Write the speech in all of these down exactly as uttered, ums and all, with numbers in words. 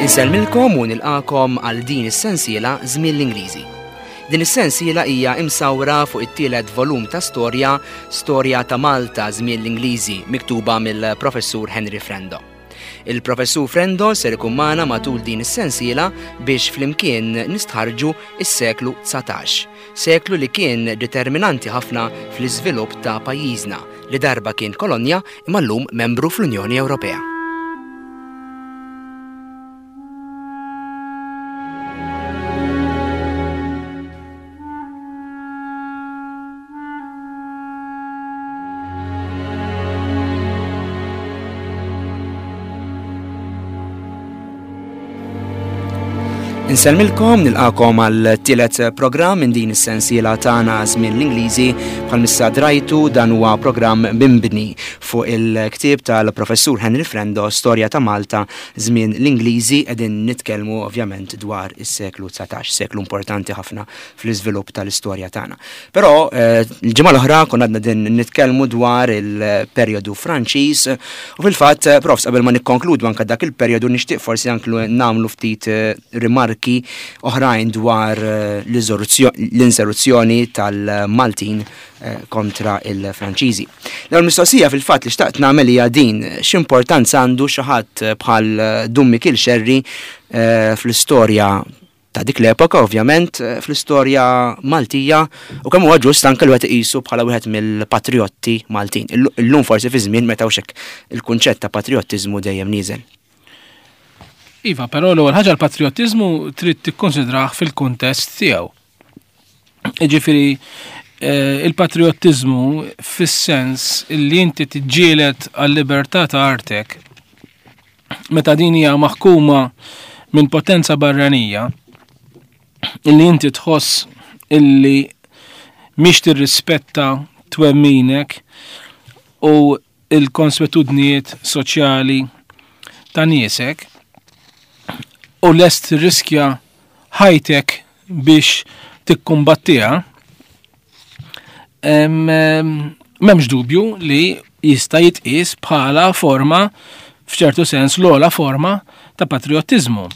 Insellmilkom u nilqakom għal din is-sensiela Żmien l-Ingliżi. Din is-sensiela hija imsawra fuq it-tielet volum ta' storja, Storja ta' Malta Żmien l-Ingliżi, miktuba mill-Professur Henry Frendo. Il-Professur Frendo ser ikun magħna matul din is-sensiela biex flimkien nistħarġu is-seklu dsatax, seklu li kien determinanti ħafna fl-iżvilupp ta' pajjiżna li darba kien kolonja imma llum membru fl-Unjoni Ewropea. Insellmilkom, nilqakom għal tielet programm minn din is-sensiela tagħna Żmien l-Ingliżi. Bħalmissa drajtu dan huwa programm mimbni fuq il-ktieb tal-Professur Henry Frendo, Storja ta' Malta Żmien l-Ingliżi. Qegħdin nitkellmu ovvjament dwar is-seklu dsatax, seklu importanti ħafna fl-iżvilupp tal-istorja tagħna. Però eh, l-ġimgħa l-oħra konna għadna din nitkellmu dwar il-perjodu Franċiż u fil-fatt, profs, qabel ma nikkonkludu anke dak il-perjodu nixtieq forsi anke nagħmlu ftit eh, rimarki oħrajn dwar eh, l-insurruzzjoni tal-Maltin eh, kontra il-Franċiżi. L-ewwel mistoqsija fil-fatt li xtaqt nagħmel hija din, x'importanza għandu xi ħadd bħal Dun Mikiel Xerri, eh, fl-istorja ta' dik l-epoka, ovvjament, fl-istorja Maltija, u kemm huwa ġust anke li wieħed iqisu bħala wieħed mill-patriotti Maltin. Illum forsi fi żmien meta hux hekk il-kunċett ta' patriottiżmu dejjem nieżel. Iva, però l-ewwel ħaġa l-patriottiżmu trid tikkonsidrah fil-kuntest tiegħu. Jiġifieri, eh, il-patriottiżmu fis-sens li inti tiġġieled għal-libertà ta' artek meta din hija maħkuma minn potenza barranija illi inti tħoss illi mhix tirrispetta twemminek u l-konswetudnijiet soċjali ta' niesek u lest tirriskja ħajtek biex tikkumbattiha, em, em, m'hemmx dubju li jista' jitqies bħala forma, f'ċertu sens l-ogħla forma ta' patriottiżmu.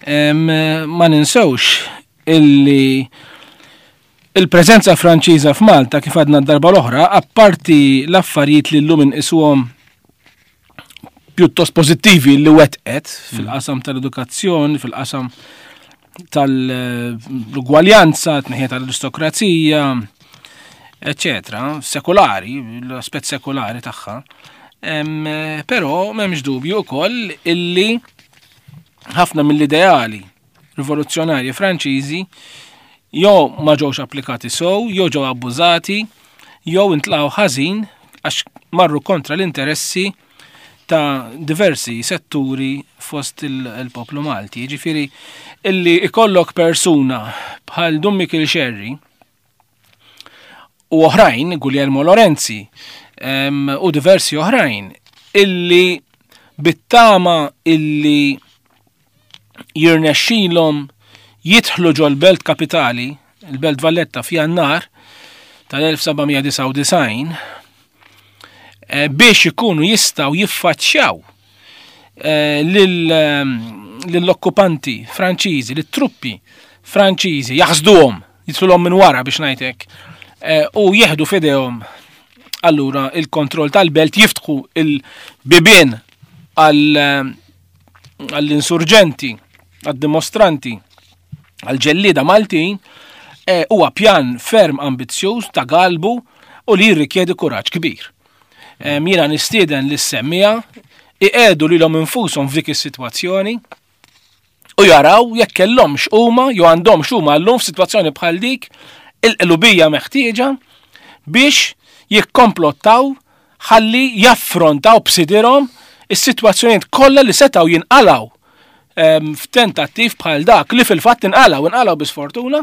Em, ma ninsewx illi il-preżenza Franċiża f'Malta, kif għadna d-darba l-oħra, apparti l-affarijiet li llum inqisuhom pjuttost pożittivi li wetqet fil-qasam tal-edukazzjoni, fil-qasam tal-ugwaljanza, tneħħija tal-aristokrazija, eccetera, sekulari, l-aspett sekulari tagħha. Em, però m'hemmx dubju wkoll illi ħafna mill-ideali rivoluzzjonarji Franċiżi jew ma ġewx applikati sew, jew ġew abbużati, jew intlaqgħu ħażin għax marru kontra l-interessi ta' diversi setturi fost il-, il-poplu Malti. Jiġifieri illi ikollok persuna bħal Dun Mikiel Xerri u oħrajn, Guglielmo Lorenzi, em, u diversi oħrajn, illi bittama illi jirnexxilhom jidħlu ġol-belt kapitali, il-Belt Valletta, f'Jannar tal-elf seba' mija disgħa u disgħin, eh, biex ikunu jistgħu jiffaċċjaw, eh, lil, ehm, lill-okkupanti Franċiżi, lit-truppi Franċiżi, jaħsduhom, jidħluhom minn wara biex ngħidlek, eh, u jieħdu f'idejhom allura il-kontroll tal-belt, jiftħu il-bibien għal, ehm, għall-insurġenti, għad-dimostranti, għall-ġellieda Maltin, eh, huwa pjan ferm ambizzjuż ta' galbu u li jirrikjedi kuraġġ kbir. Em, jiena nistieden li semmija iqedu lilhom infushom f'dik is-sitwazzjoni u jaraw jekk kellhomx huma jew għandhomx huma llum f'sitwazzjoni bħal dik il-qlubija meħtieġa biex jikkomplottaw ħalli jaffrontaw b'sidirhom is-sitwazzjonijiet kollha li setgħu jinqalgħu, em, f'tentattiv bħal dak li fil-fatt inqalgħu, inqalgħu bi sfortuna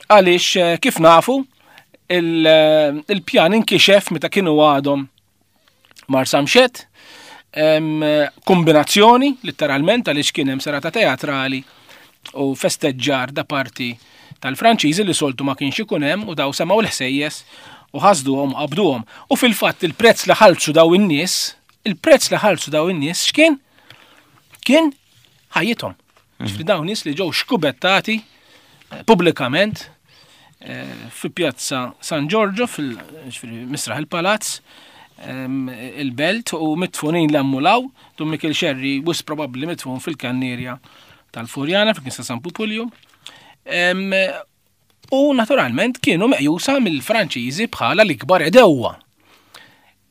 għaliex, eh, kif nafu il-, eh, il-pjan inkixef meta kienu għadhom Marsamxett, em, kombinazzjoni letteralment għaliex kien hemm serata teatrali u festeġġar da parti tal-Franċiżi li soltu ma kienx ikun hemm u daw semgħu l-ħsejjes u ħasduhom u qabduhom. U fil-fatt il-prezz li ħallsu daw in-nies Il-prezz li ħallsu daw in-nies x'kien? Kien ħajjithom. Ġifieri dawn nies li ġew xkubettati eh, pubblikament eh, fi Pjazza San Giorgio fil Misraħ il-Palazz il-belt u mitfunin l-ammulaw, Dun Mikiel Xerri wisq probabbli mitfun fil-kannierja tal-Furjana fil-Knisja San Pupulju. U naturalment kienu meqjusa mill-Franċiżi bħala l-ikbar għedewwa.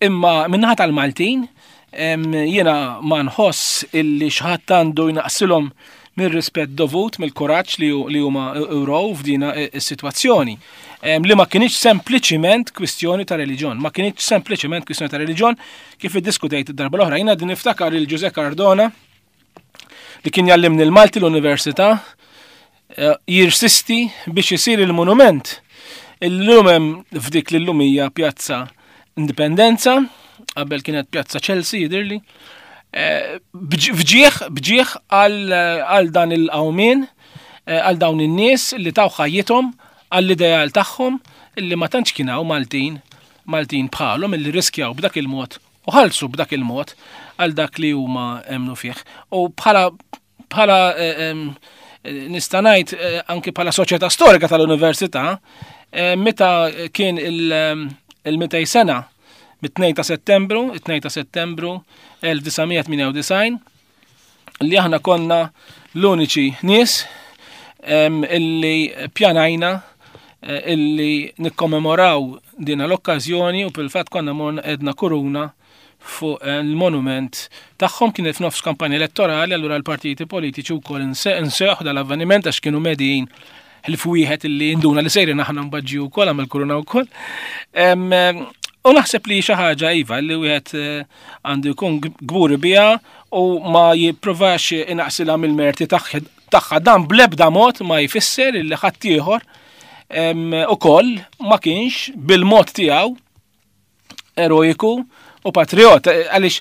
Imma min-naħa tal-Maltin, jiena ma nħoss illi xi ħadd għandu jnaqsilhom mir-rispett dovut, mill-kuraġġ li huma wrew f'dina is-sitwazzjoni. Li ma kienx sempliċiment kwistjoni ta' reliġjon, ma kienx sempliċiment kwistjoni ta' reliġjon kif iddiskutejt id-darba l-oħra. Jiena din niftakar il Ġuże Cardona li kien jallimni l-Malti l-Università eh, jirsisti biex isir il-monument illum hemm f'dik li llum hija Pjazza Indipendenza, qabel kienet Pjazza Chelsea jidirli, eh, bġieħ bġieħ għal dan il-qawmien, eh, għal dawn in-nies li taw ħajjithom għall-ideal tagħhom illi ma tantx kien hawn Maltin Maltin bħalhom illi riskjaw b'dak il-mod u ħallsu b'dak il-mod għal dak li huma emnu fih. U bħala bħala eh, nista' ngħid eh, anki bħala soċjetà storika tal-università, eh, meta kien il-mitejn sena mit-tnejn ta' Settembru, it-tnejn ta' Settembru elf disa' mija tmienja u disgħin, li aħna konna l-uniċi nies illi pjanajna eh, illi nikkommemoraw dina l-okkażjoni u fil-fatt konna morna qegħedna kuruna fuq eh, il-monument tagħhom. Kienet f'nofs kampanja elettorali, allura l-partiti politiċi wkoll inseħ dal-avveniment għax kienu medijin ħlief wieħed illi induna li sejrin aħna mbaġġi wkoll għamel kuruna wkoll. U naħseb li xi ħaġa iva li wieħed eh, għandu jkun gburi biha u ma jipprovax inaqsilha mill-merti tagħha. Dan bl-ebda mod ma jfisser illi ħaddieħor ukoll ma kienx bil-mod tiegħu eroiku u patriot, għaliex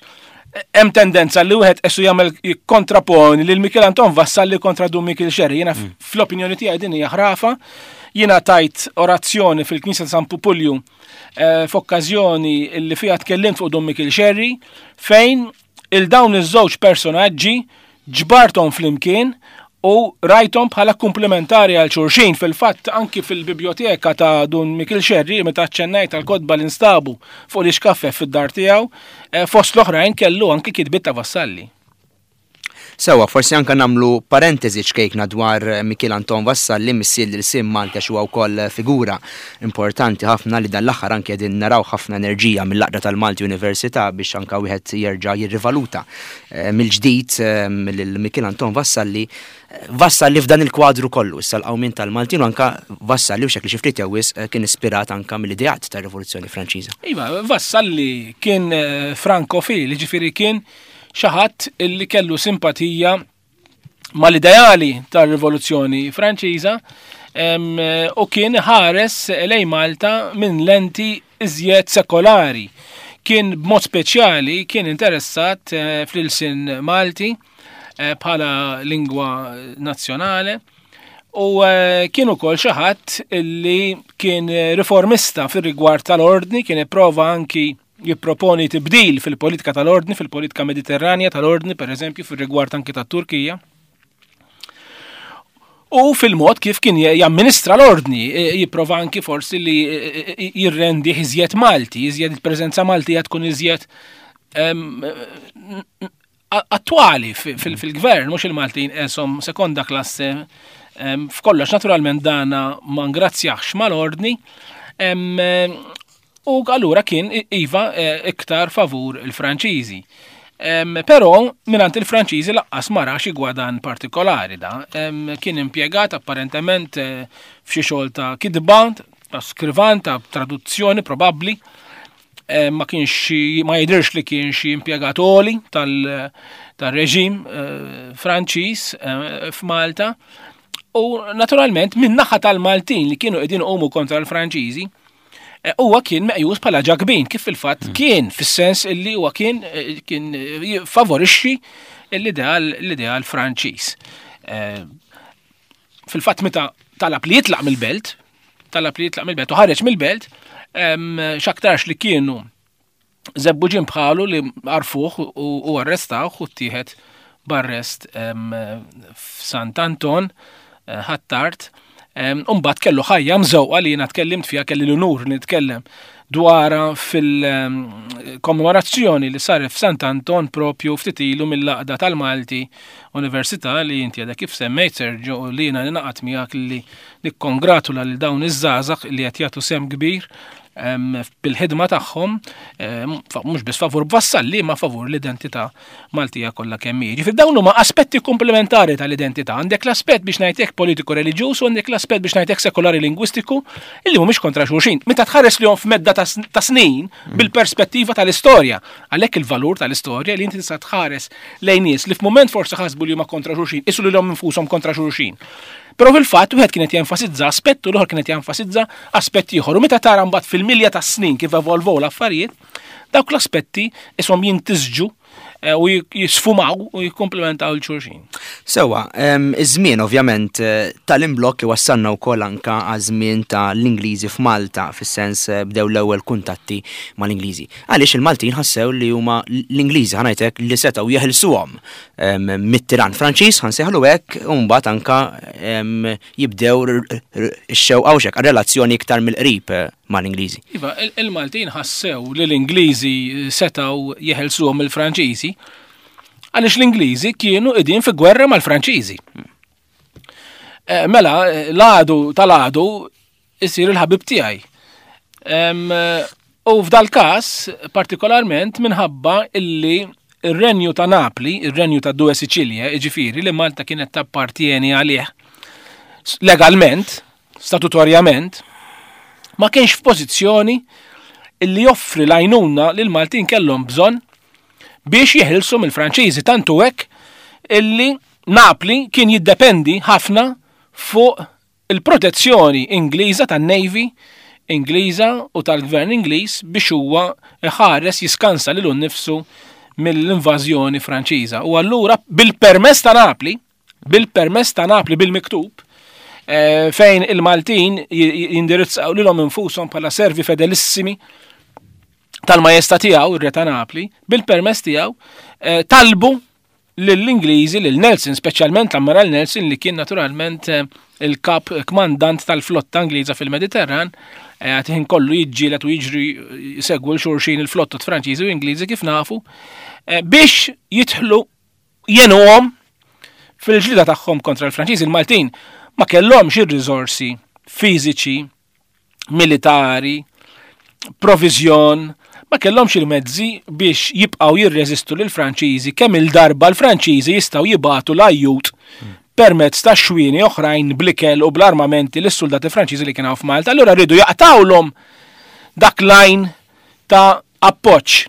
hemm tendenza li wieħed esu jagħmel kontraponi lil Mikiel Anton Vassalli kontra Dun Mikiel Xerri. Jiena mm. fl-opinjoni tiegħi din hija ħrafa. Jiena tajt orazzjoni fil-Knisja ta' San Pupulju eh, f'okkażjoni li fiha tkellimt fuq Dun Mikiel Xerri, fejn il-dawn iż-żewġ personaġġi ġbartom flimkien u rajtom bħala komplementari għal xulxin. Fil-fatt, anki fil-biblioteka ta' Dun Mikiel Xerri, meta ċennajt tal-kotba li nstabu fuq li xkaffe fid-dar tiegħu, eh, fost l-oħrajn kellu anki kitbiet ta' Vassalli. Sewa, forsi anka namlu parentesi ċkejkna dwar Mikiel Anton Vassalli, missier l-ilsien Malti, għax huwa wkoll figura importanti ħafna li dan l-aħħar anke qegħdin naraw ħafna enerġija mill-Għaqda tal-Malti Università biex anka wieħed jerġa' jirrivaluta eh, mill-ġdid eh, lil Mikiel Anton Vassalli. Vassalli f'dan il-kwadru kollu, issa l-qawmien tal-Maltin u anka Vassalli u xekli xi ftit jew wisq eh, kien ispirat anka mill-ideat tar-Rivoluzzjoni Franċiża. Iva, Vassalli kien frankofil, ġifieri kien xi ħadd illi kellu simpatija mal-ideali tar-Rivoluzzjoni Franċiża u kien ħares lejn Malta minn lenti iżjed sekolari. Kien b'mod speċjali kien interessat eh, fl-ilsien Malti eh, bħala lingwa nazzjonali u eh, kien ukoll xi ħadd illi kien riformista fir-rigward tal-ordni, kien ipprova anki jipproponi tibdil fil-politika tal-ordni, fil-politika mediterranja tal-ordni, per eżempju, fil-rigward anki tat-Turkija. U fil-mod kif kien jamministra l-ordni, e, jipprova anki forsi li e, e, jirrendi iżjed Malti, iżjed il-preżenza Maltija tkun iżjed attwali fil-gvern, mhux il-Maltin esom sekonda klasse f'kollox. Naturalment dana ma ngrazzjax mal-ordni, u allura kien iva iktar favur il-Franċiżi. Però minant il-Franċiżi lanqas ma ra xi gwadan partikolari da. Kien impjegat apparentement eh, f'xi xogħol ta' kitba, ta' skrivan, ta' traduzzjoni probabbli. Ma kienx, ma jidhirx li kien xi impjegat għoli tal-reġim eh, Franċiż eh, f'Malta. U naturalment min naħa tal-Maltin li kienu qegħdin iqumu kontra l-Franċiżi, Eh, huwa kien meqjus bħala ġakbin, kif fil-fatt mm. kien, fis-sens illi huwa kien eh, kien eh, favorixxi l-ideal l-ideal Franċiż. Fil-fatt meta talab li jitlaq mill-belt, talab li jitlaq mill-belt u ħareġ mill-belt, x'aktarx li kienu Żebbuġin bħalu li għarfuh u arrestawh u ttieħed b'arrest f'Sant Anton Ħ'Attard. Umbagħad kellu ħajja mżewqa li jiena tkellimt fiha, kelli l-unur nitkellem dwarha fil-kommemorazzjoni li saret f'Sant Anton propju ftit ilu mill-Għaqda tal-Malti Università li inti għadha kif semmejt, Sergio, u li jiena ningħaqad miegħek li nikkongratula lil dawn iż-żgħażagħ li qed jagħtu sehem kbir bil-ħidma tagħhom, mhux biss favur Vassalli ma favur l-identità Maltija kollha kemm hi. Ġifieri dawn huma aspetti komplementari tal-identità. Għandek l-aspett biex ngħidlek politiku reliġjuż u għandek l-aspett biex ngħidlek sekolari lingwistiku illi mhumiex kontra xulxin. Meta tħares lihom f'medda ta' snin bil-perspettiva tal-istorja. Għalhekk il-valur tal-istorja li inti tista' tħares lejn nies li f'mument forsi ħasbu li huma kontra xulxin, isu lilhom infushom kontra xulxin. Però fil-fatt wieħed kienet jenfasizza aspett u l-ieħor kienet jenfasizza aspett ieħor. U meta tara mbagħad fil-milja ta' snin kif evolvow l-affarijiet, dawk l-aspetti ishom jintisġu u jisfumaw u jikkomplementaw lil xulxin. Sewa, iż-żmien ovvjament tal-imblokk wassalna wkoll anka għaż-żmien tal-Ingliżi f'Malta, fis-sens bdew l-ewwel kuntatti mal-Ingliżi. Għaliex il-Maltin ħassew li huma l-Ingliżi ħa ngħidlek li setgħu jeħilsuhom mit-tiran Franċiż, ħansejħlu hekk, u mbagħad anka jibdew ix-xewqa u xek relazzjoni iktar mill-qrib mal-Ingliżi. Iva, il-Maltin ħassew li l-Ingliżi setgħu jeħilsuhom mill-Franċiżi għaliex l-Ingliżi kienu qegħdin fi gwerra mal-Franċiżi. Mela, l-għadu tal-għadu isir il-ħabib tiegħi. U f'dal każ partikolarment minħabba illi ir-renju ta' Napli, ir-renju ta' Due Sicilie, jiġifieri li Malta kienet tappartieni għalih legalment, statutorjament, ma kienx f'pożizzjoni illi joffri l-għajnuna li l-Maltin kellhom bżonn biex jeħilsu mill-Franċiżi, tantu hekk illi Napli kien jiddependi ħafna fuq il-protezzjoni Ingliża tan-Navy Ingliża u tal-Gvern Ingliż biex huwa ħares jiskansa lilu nnifsu mill-invażjoni Franċiża. U allura bil-permess ta' Napli, bil-permess ta' Napli bil-miktub, eh, fejn il-Maltin jindirizzaw lilhom infushom bħala servi fedelissimi tal-majesta tiegħu, ir-re ta' Napli, bil-permess tiegħu, eh, talbu lill-Ingliżi, lil Nelson, speċjalment l-Ammiral Nelson li kien naturalment eh, il-kap kmandant tal-flotta Ingliża fil-Mediterran, għad ħin kollu jiġġieled u jiġri jsegwu l-xulxin il-flottot Franċiżi u Ingliżi kif nafu, eh, biex jidħlu jgħinuhom fil-ġlida tagħhom kontra l-Franċiżi. Il-Maltin ma kellhomx ir-riżorsi fiżiċi, militari, provizjon, ma kellhomx il-mezzi biex jibqgħu jirreżistu lil Franċiżi kemm il-darba l-Franċiżi jistgħu jibagħtu l-ajjut permezz ta' xwieni oħrajn bl-ikel u bl-armamenti lis-soldati Franċiżi li kienu f'Malta. Allura rridu jaqtawlhom dak lajn ta' appoġġ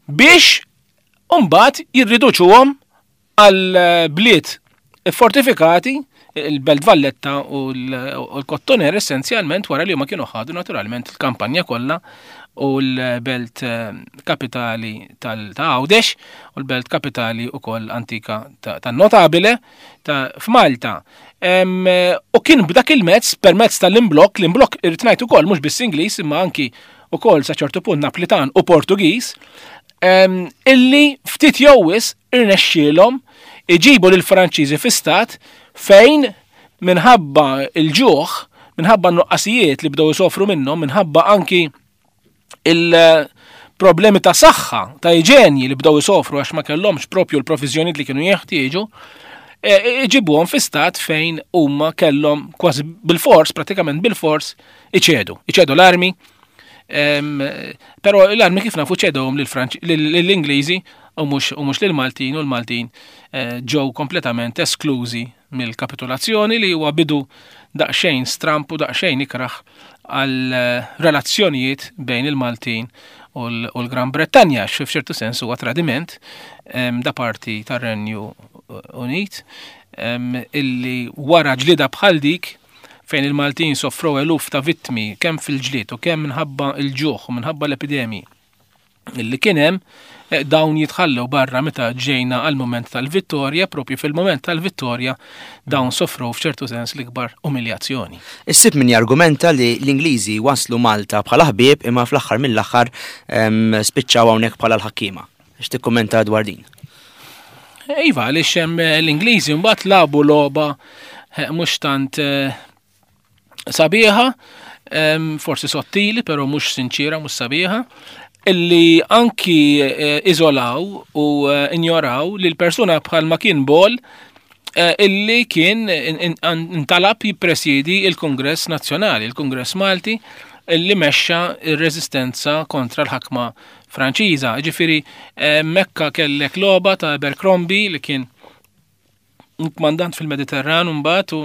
biex mbagħad jirriduċuhom għal bliet fortifikati, il-Belt Valletta u l-Kottoner essenzjalment, wara li huma kienu ħadu naturalment il-kampanja kollha u l-belt kapitali ta' Għawdex u l-belt kapitali ukoll antika tan-Notabile ta' f'Malta. U kien b'dak il-mezz, permezz tal-imblokk, l-imblokk irrid ngħid ukoll mhux biss Ingliż imma anki ukoll sa ċertu punt Naplitan u Portugiż, illi ftit jew wisq irnexxielhom iġibu lil Franċiżi fi stat fejn minħabba il-ġuħ, minħabba n-nuqqasijiet li bdew isofru minnhom, minħabba anki il-problemi ta' saħħa, ta' iġenji li bdew isofru għax ma kellhomx propju l-provizjonijiet li kienu jeħtieġu, iġibuhom fi stat fejn huma kellhom kważi bil-fors, pratikament bil-fors, iċedu. Iċedu l-armi, però l-armi kif nafu ċedhom lill-Ingliżi u mhux lill-Maltin, u l-Maltin ġew kompletament esklużi mill-kapitolazzjoni li huwa bidu daqsxejn stramp u daqsxejn ikraħ għal relazzjonijiet bejn il-Maltin u l-Gran Bretanja, għax f'ċertu sens huwa tradiment da parti tar-Renju Unit, illi wara ġlida bħal dik fejn il-Maltin soffrow eluf ta' vittmi kemm fil-ġlied u kemm minħabba il-ġuħ u minħabba l-epidemi. Illi kien hemm eh, dawn jitħallew barra meta ġejna għal moment tal-vittorja, propju fil-moment tal-vittorja dawn sofru f'ċertu sens l-ikbar umiljazzjoni. Issib min jargumenta li l-Ingliżi waslu Malta bħala ħbieb imma fl-aħħar mill-aħħar spiċċaw hawnhekk bħala l-ħakkiema. X'tikkummenta dwar din? Iva, għaliex hemm l-Ingliżi mbagħad lagħbu logħba eh, mhux tant eh, sabiħa, forsi sottili, però mhux sinċira, mhux sabiħa, illi anki eh, iżolaw u injoraw li l-persuna bħal ma kien Ball illi kien intalab jippresidi il-Kongress Nazzjonali, il-Kongress Malti, illi mexxa ir-reżistenza kontra l-ħakma Franċiża. Ġifieri mekka kellek logħba ta' Abercrombie li kien kmandant fil-Mediterran mbagħad u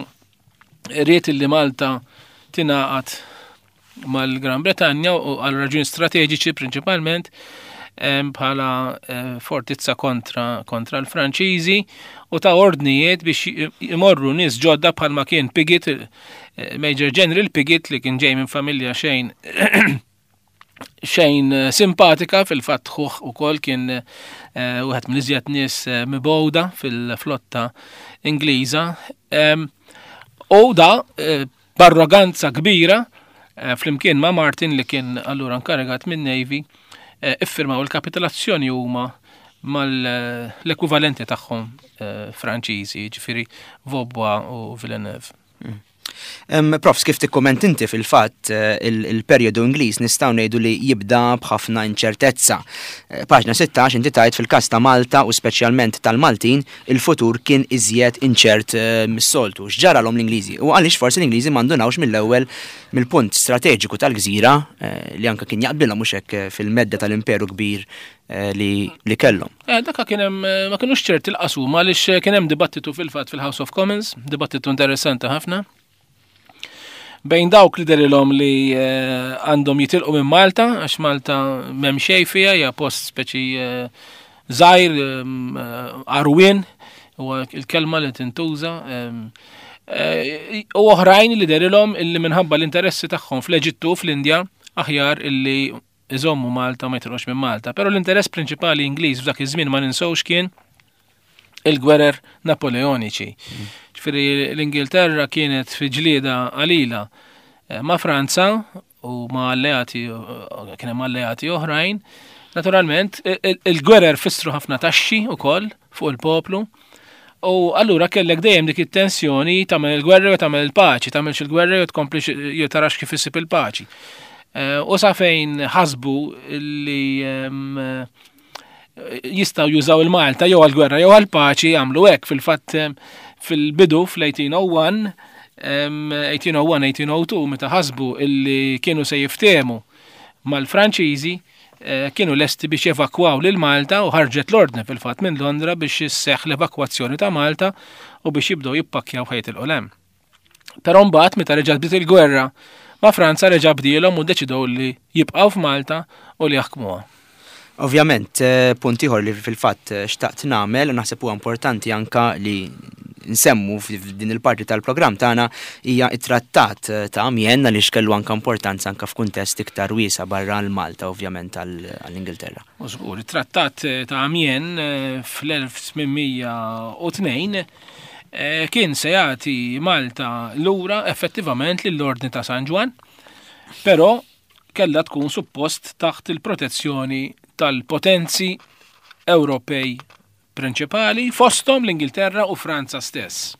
ried illi Malta tingħaqad mal-Gran Bretanja u għal raġuni strateġiċi prinċipalment bħala fortizza kontra, kontra l-Franċiżi u ta ordnijiet biex imorru nies ġodda bħalma kien Piggott, Major General Piggott li kien ġej minn familja xejn xejn simpatika fil-fatt ħuh ukoll kien wieħed minn iżjed nies mibgħuda fil-flotta Ingliża. U da b'arroganza kbira flimkien ma' Martin li kien allura nkarigat minn Navy iffirmaw il-kapitolazzjoni huma mal-ekwivalenti tagħhom Franċiżi, ġifieri Vaubois u Villeneuve. Profs, kif tikkomment inti fil-fatt il-perjodu Ingliż nistgħu ngħidu li jibda b'ħafna inċertezza. Paġna sittax inti tajt fil-każ ta' Malta u speċjalment tal-Maltin, il-futur kien iżjed inċert mis-soltu. X'ġaralhom l-Ingliżi? U għaliex forsi l-Ingliżi m'għandunawx mill-ewwel mill-punt strateġiku tal-gżira li anke kien jaqbilhom mhux hekk fil-medda tal-imperu kbir li, li kellhom. Eh, daka kien hemm ma kinux ċerti l-qasum għaliex kien hemm dibattitu fil-fatt fil-House of Commons, dibattitu interessanti ħafna. Bejn dawk li dehrilhom li għandhom jitilqu minn Malta, għax Malta m'hemm xejn fiha, hija post speċi żgħir, għarwien, huwa il-kelma li tintuża. U oħrajn li dehrilhom illi minħabba l-interessi tagħhom fl-Eġittu, fl-Indja, aħjar illi iżommu Malta ma jitilqux minn Malta. Però l-interess prinċipali Ingliż f'dak iż-żmien ma ninsewx kien il-gwerer Napoleoniċi. Ġifieri l-Ingilterra kienet fi ġlieda qalila ma' Franza u ma' alleati, kien hemm alleati oħrajn. Naturalment, il-gwerer fissru ħafna taxxi wkoll fuq il-poplu. U allura kellek dejjem dik it-tensjoni tagħmel il-gwerra u tagħmel il-paċi, tagħmel il-gwerra u tkompli jew tarax kif issib il-paċi. U sa fejn ħasbu li jistgħu jużaw il-Malta jew għall-gwerra jew għall-paċi jagħmlu hekk. Fil-fatt fil-bidu fl-eighteen oh one, eighteen oh one, eighteen oh two, meta ħasbu illi kienu se jiftehmu mal-Franċiżi, kienu lesti biex jevakwaw lil Malta u ħarġet l-ordni fil-fatt minn Londra biex isseħħ l-evakwazzjoni ta' Malta u biex jibdew jippakkjaw ħajt il-qolem. Però mbagħad meta reġgħet bdiet il-gwerra ma' Franza reġa' bdielhom u ddeċidew li jibqgħu f'Malta u li jaħkmuha. Ovvjament, punt ieħor li fil-fatt xtaqt nagħmel u naħseb huwa importanti anka li nsemmu f'din il-parti tal-programm tagħna hija t-trattat ta' Amiens għaliex kellu anka importanza anka f'kuntest iktar wiesa' barra l-Malta ovvjament għall-Ingilterra. U żgur, it-trattat ta' Amiens fl-elf tmien u tnejn kien se jagħti Malta lura effettivament lill-Ordni ta' San Ġwann, però kellha tkun suppost taħt il-protezzjoni tal-potenzi Ewropej prinċipali fosthom l-Ingilterra u Franza stess.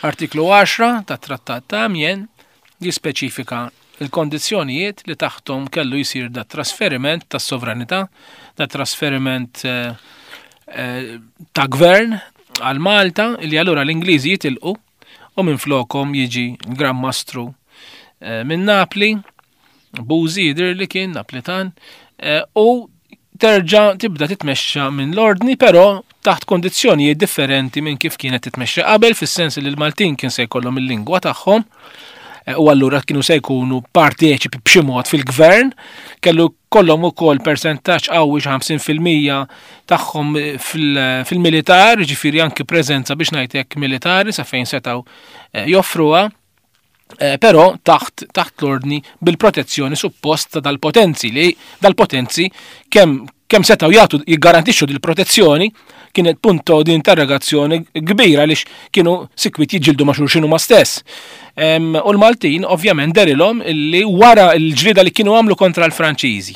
Artiklu għaxra tat-Trattat ta' Amiens jispeċifika il-kondizzjonijiet li taħtom kellu jsir da trasferiment tas sovranità, da trasferiment, eh, eh, ta' gvern għal Malta, li allura l-Ingliżi jitilqu u minn flokom jiġi Gran Mastru, eh, minn Napli, Buzi jidher li kien Naplitan, eh, u terġa' tibda titmexxa minn l-ordni, però taħt kondizzjonijiet differenti minn kif kienet titmexxa qabel, fis-sens li l-Maltin kien se jkollhom il-lingwa tagħhom, eh, u allura kienu se jkunu parteċipi b'xi mod fil-gvern, kellu kollhom ukoll persentaġġ qawwi xi ħamsin fil-mija tagħhom fil-, fil-militar, ġifieri anki preżenza biex ngħid hekk militari sa fejn setgħu, eh, joffruha. Eh, però taħt taħt l-ordni bil-protezzjoni suppost ta' dal-potenzi li dal-potenzi kemm kemm setgħu jagħtu jiggarantixxu dil-protezzjoni kienet punto di interrogazzjoni kbira għaliex kienu sikwit jiġġieldu ma' xulxin huma stess. U l-Maltin ovvjament dehrilhom illi wara l-ġlieda li kienu għamlu kontra l-Franċiżi.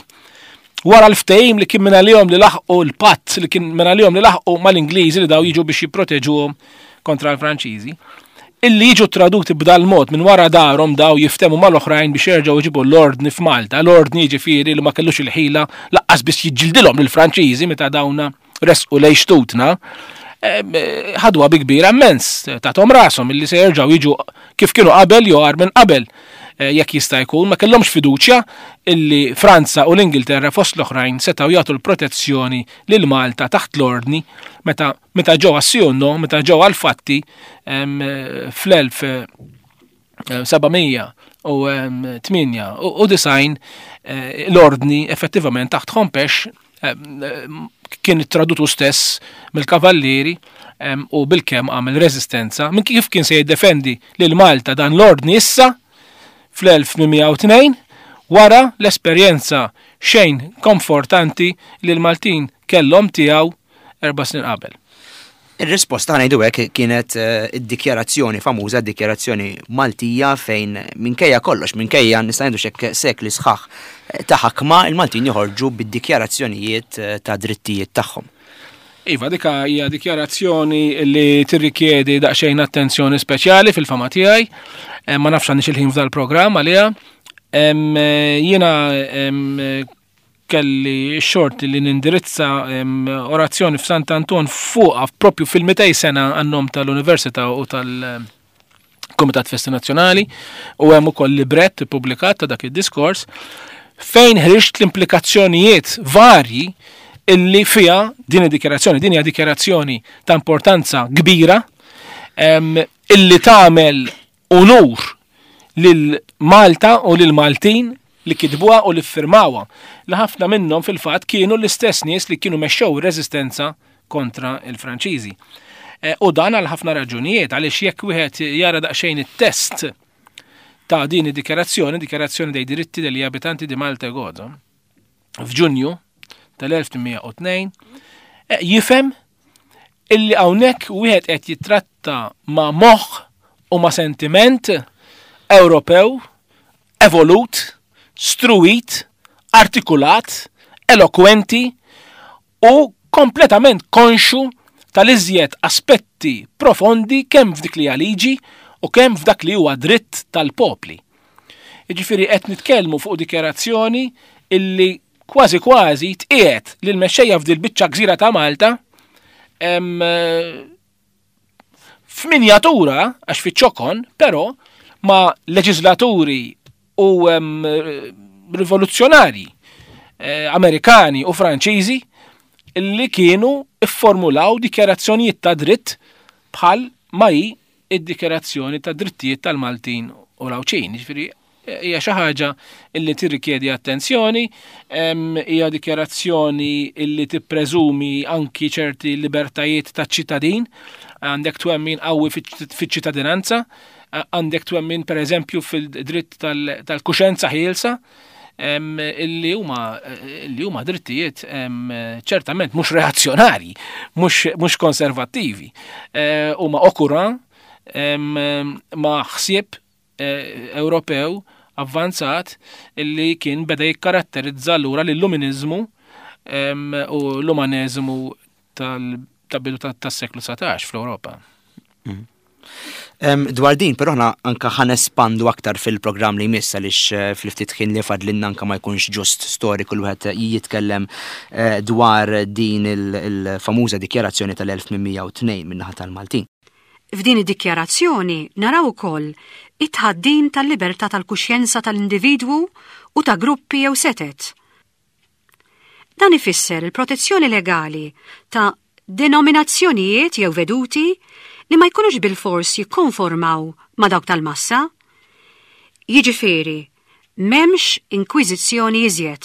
Wara l-ftehim li kien minn għalihom li laħqu l-patt li kien minn għalihom li laħqu mal-Ingliżi li daw jiġu biex jipproteġuhom kontra l-Franċiżi, illi jiġu traduti b'dal mod minn wara darhom daw jiftemu mal-oħrajn biex jerġgħu jġibu l-ordni f'Malta. L-ordni jiġifieri li ma kellux il-ħila lanqas biss jiġġildilhom lill-Franċiżi meta dawna resqu lejn xtutna. Ħadwa bi kbira immens, tathom rashom illi se jerġgħu jiġu kif kienu qabel jew agħar minn qabel jekk jista' jkun, ma kellhomx fiduċja illi Franza u l-Ingilterra fost l-oħrajn setgħu jagħtu l-protezzjoni lil Malta taħt l-ordni meta meta ġew għas-no, meta ġew għal-fatti fl-elf seba' mija u tmienja u disgħin l-ordni effettivament taħt Hompesch kien tradutu stess mill-kavallieri u bil-kemm għamel reżistenza minn kif kien se jiddefendi lil Malta dan l-ordni issa fl-elf tmien mija u tnejn wara l-esperjenza xejn komfortanti li l-Maltin kellhom tiegħu erba' snin qabel. Ir-risposta ngħidu hekk kienet, eh, id-dikjarazzjoni famuża, dikjarazzjoni Maltija fejn minkejja kollox, minkejja nista' ngħidu xek sekli sħaħ, eh, ta' ħakma, il-Maltin joħorġu bid-dikjarazzjonijiet, eh, ta' drittijiet tagħhom. Iva, dika hija dikjarazzjoni li tirrikjedi daqsxejn attenzjoni speċjali fil-fama tiegħi. Eh, ma nafx għandix il-ħin f'dal-programm għaliha. Em, eh, jiena, em, kelli xort li nindirizza, em, orazzjoni f'Sant Anton fuqha propju fil-mitej sena għan-nom tal-Università u tal-Kumitat Festi Nazzjonali, u hemm ukoll librett ippubblikat ta' dak id-diskors fejn ħriġt l-implikazzjonijiet varji illi fija din id-dikjarazzjoni. Din hija dikjarazzjoni ta' importanza kbira, em, illi tagħmel unur lil Malta u lil Maltin li kitbuha u li ffirmawha, li ħafna minnhom fil-fatt kienu l-istess nies li kienu mexxew ir-reżistenza kontra il-Franċiżi. Eh, u dan għal ħafna raġunijiet, għaliex jekk wieħed jara daqsxejn it-test ta' din id-dikjarazzjoni, dikjarazzjoni dei diritti degli abitanti di Malta e Gozo, f'Ġunju tal-elf tmien mija u tnejn, eh, jifhem illi hawnhekk wieħed qed jitratta ma' moħħ u ma' sentiment Ewropew evolut, struit, artikulat, elokwenti u kompletament konxu tal-iżjed aspetti profondi kemm f'dik li hija liġi u kemm f'dak li huwa dritt tal-popli. Jiġifieri qed nitkellmu fuq dikjarazzjoni illi kważi kważi tqiegħed lil mexxejja f'dil biċċa gżira ta' Malta, em, f'minjatura, għax fiċ-ċokon, però ma' leġislaturi u, em, rivoluzzjonari, eh, Amerikani u Franċiżi illi kienu ifformulaw dikjarazzjonijiet ta' dritt bħal ma hi id-dikjarazzjoni ta' drittijiet tal-Maltin u l-Għawdxin. Jiġifieri hija xi ħaġa illi tirrikjedi attenzjoni, em, hija dikjarazzjoni illi tippreżumi anki ċerti libertajiet taċ-ċittadin, għandek twemmin qawwi fiċ-ċittadinanza, għandek twemmin per eżempju fil-dritt tal-, tal-kuxenza ħielsa, em, illi huma, illi huma drittijiet, em, ċertament mhux reazzjonarji, mhux, mhux konservattivi, eh, huma okura, em, ma' ħsieb, eh, Ewropew avvanzat illi kien beda jikkaratterizza allura l-illuminizmu, em, u l-umaneżmu tal-, tal-bidu ta-, tas-seklu dsatax fl-Ewropa. Mm. Em, dwar din, però aħna anka ħa nespandu aktar fil-programm li jmiss għaliex, eh, fil-ftit ħin li fadlinna anka ma jkunx ġust storiku li wieħed jitkellem, eh, dwar din il-, il-famuża dikjarazzjoni tal-elf tmien mija u tnejn min-naħa tal-Maltin. F'din id-dikjarazzjoni naraw ukoll it-tħaddim tal-libertà tal-kuxjenza tal-individwu u ta' gruppi jew setet. Dan ifisser il-protezzjoni legali ta' denominazzjonijiet jew veduti li ma jkunux bil-fors jikkonformaw ma' dawk tal-massa. Jiġifieri, m'hemmx inkwiżizzjoni iżjed.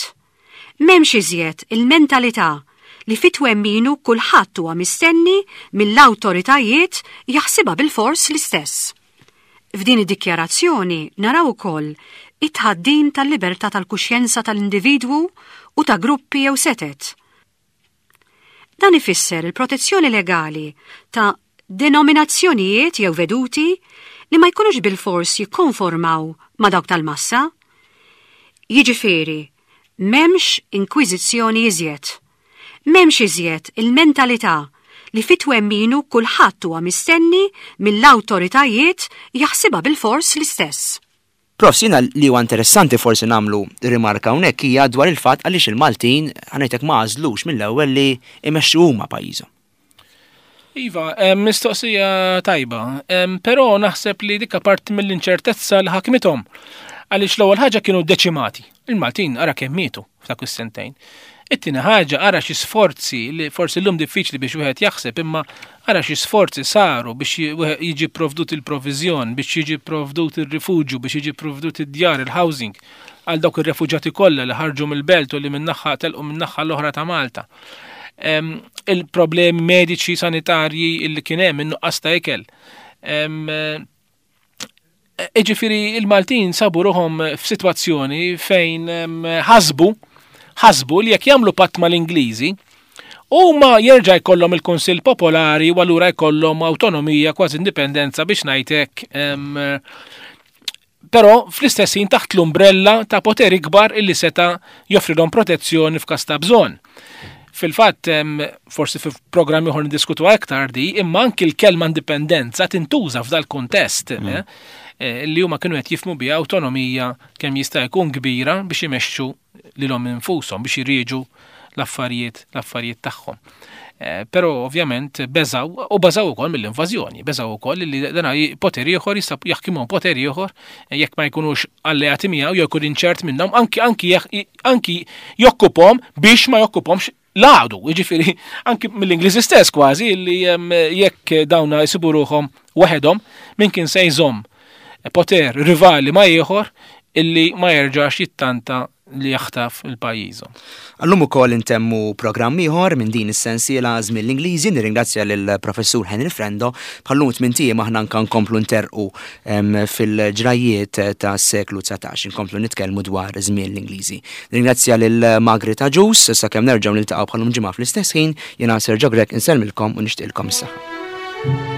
M'hemmx iżjed il-mentalità li fit-twemminu kulħadd huwa mistenni mill-awtoritajiet jaħsibha bil-fors l-istess. F'din id-dikjarazzjoni naraw ukoll it-tħaddim tal-libertà tal-kuxjenza tal-individwu u ta' gruppi jew setet. Dan ifisser il-protezzjoni legali ta' denominazzjonijiet jew veduti li ma jkunux bilfors jikkonformaw ma' dawk tal-massa. Jiġifieri, m'hemmx inkwiżizzjoni iżjed. M'hemmx iżjed il-mentalità li fit-twemminu kulħadd huwa mistenni mill-awtoritajiet jaħsibha bilfors l-istess. Prof, jiena li huwa interessanti forsi nagħmlu rimarka hawnhekk hija dwar il-fatt għaliex il-Maltin, ħa ngħidlek, ma għażlux mill-ewwel li imexxu huma pajjiżhom. Iva, mistoqsija tajba, però naħseb li dikka parti mill-inċertezza li ħakmithom. Għaliex l-ewwel ħaġa kienu deċimati. Il-Maltin ara kemm mietu f'dak is-sentejn. It-tieni ħaġa, ara xi sforzi li forsi llum diffiċli biex wieħed jaħseb, imma ara xi sforzi saru biex jiġi provdut il-proviżjon, biex jiġi provdut il-rifuġju, biex jiġi provdut id-djar, il-housing għal dawk ir-refuġjati kollha li ħarġu mill-belt u li min-naħa telqu min-naħa l-oħra ta' Malta. Il-problemi mediċi sanitarji li kien hemm, in-nuqqas ta' ikel. Iġifieri il-Maltin sabu ruħhom f'sitwazzjoni fejn ħasbu ħasbu li jekk jagħmlu patt mal-Ingliżi, huma jerġa' jkollhom il-Kunsill Popolari u allura jkollhom awtonomija, kważi indipendenza biex ngħidlek, però fl-istess ħin taħt l-umbrella ta' poter ikbar illi seta' joffrilhom protezzjoni f'każ ta' bżonn. Fil-fatt, forsi fi programmi oħra niddiskutu aktar di, imma anki l-kelma indipendenza tintuża f'dal kuntest mm. eh, eh, li huma kienu qed jifhmu biha awtonomija kemm jista' jkun kbira biex imexxu lilhom infushom, biex jirieġu l-affarijiet l-affarijiet tagħhom. Eh, però ovvjament beżaw u beżaw ukoll mill-invażjoni, beżaw ukoll li dana poter ieħor jista' jaħkimhom, poter ieħor jekk ma jkunux alleati miegħu jew jkun inċert minnhom, anki anki anki jokkupahom biex ma jokkupahomx l-għadu, jiġifieri anki mill-Ingliżi stess kważi li jekk dawna jsibu ruħhom waħedhom, min kien se jżomm poter rivali ma' ieħor illi ma jerġax jittanta li jaħtaf il-pajjiżhom? Għallum ukoll intemmu programm ieħor minn din is-sensiela Żmien l-Ingliżi. Nirringrazzja lill-Professur Henry Frendo. Bħallum tmint ijiem aħna nka nkomplu nterqu fil-ġrajiet ta' seklu dsatax, nkomplu nitkellmu dwar żmien l-Ingliżi. Nirringrazzja lil Margaret Agius. Sakemm nerġgħu niltaqgħu bħallum ġimgħa fl-istess ħin, jiena Sergio Grech insellmilkom u nixtieqilkom is-saħħa.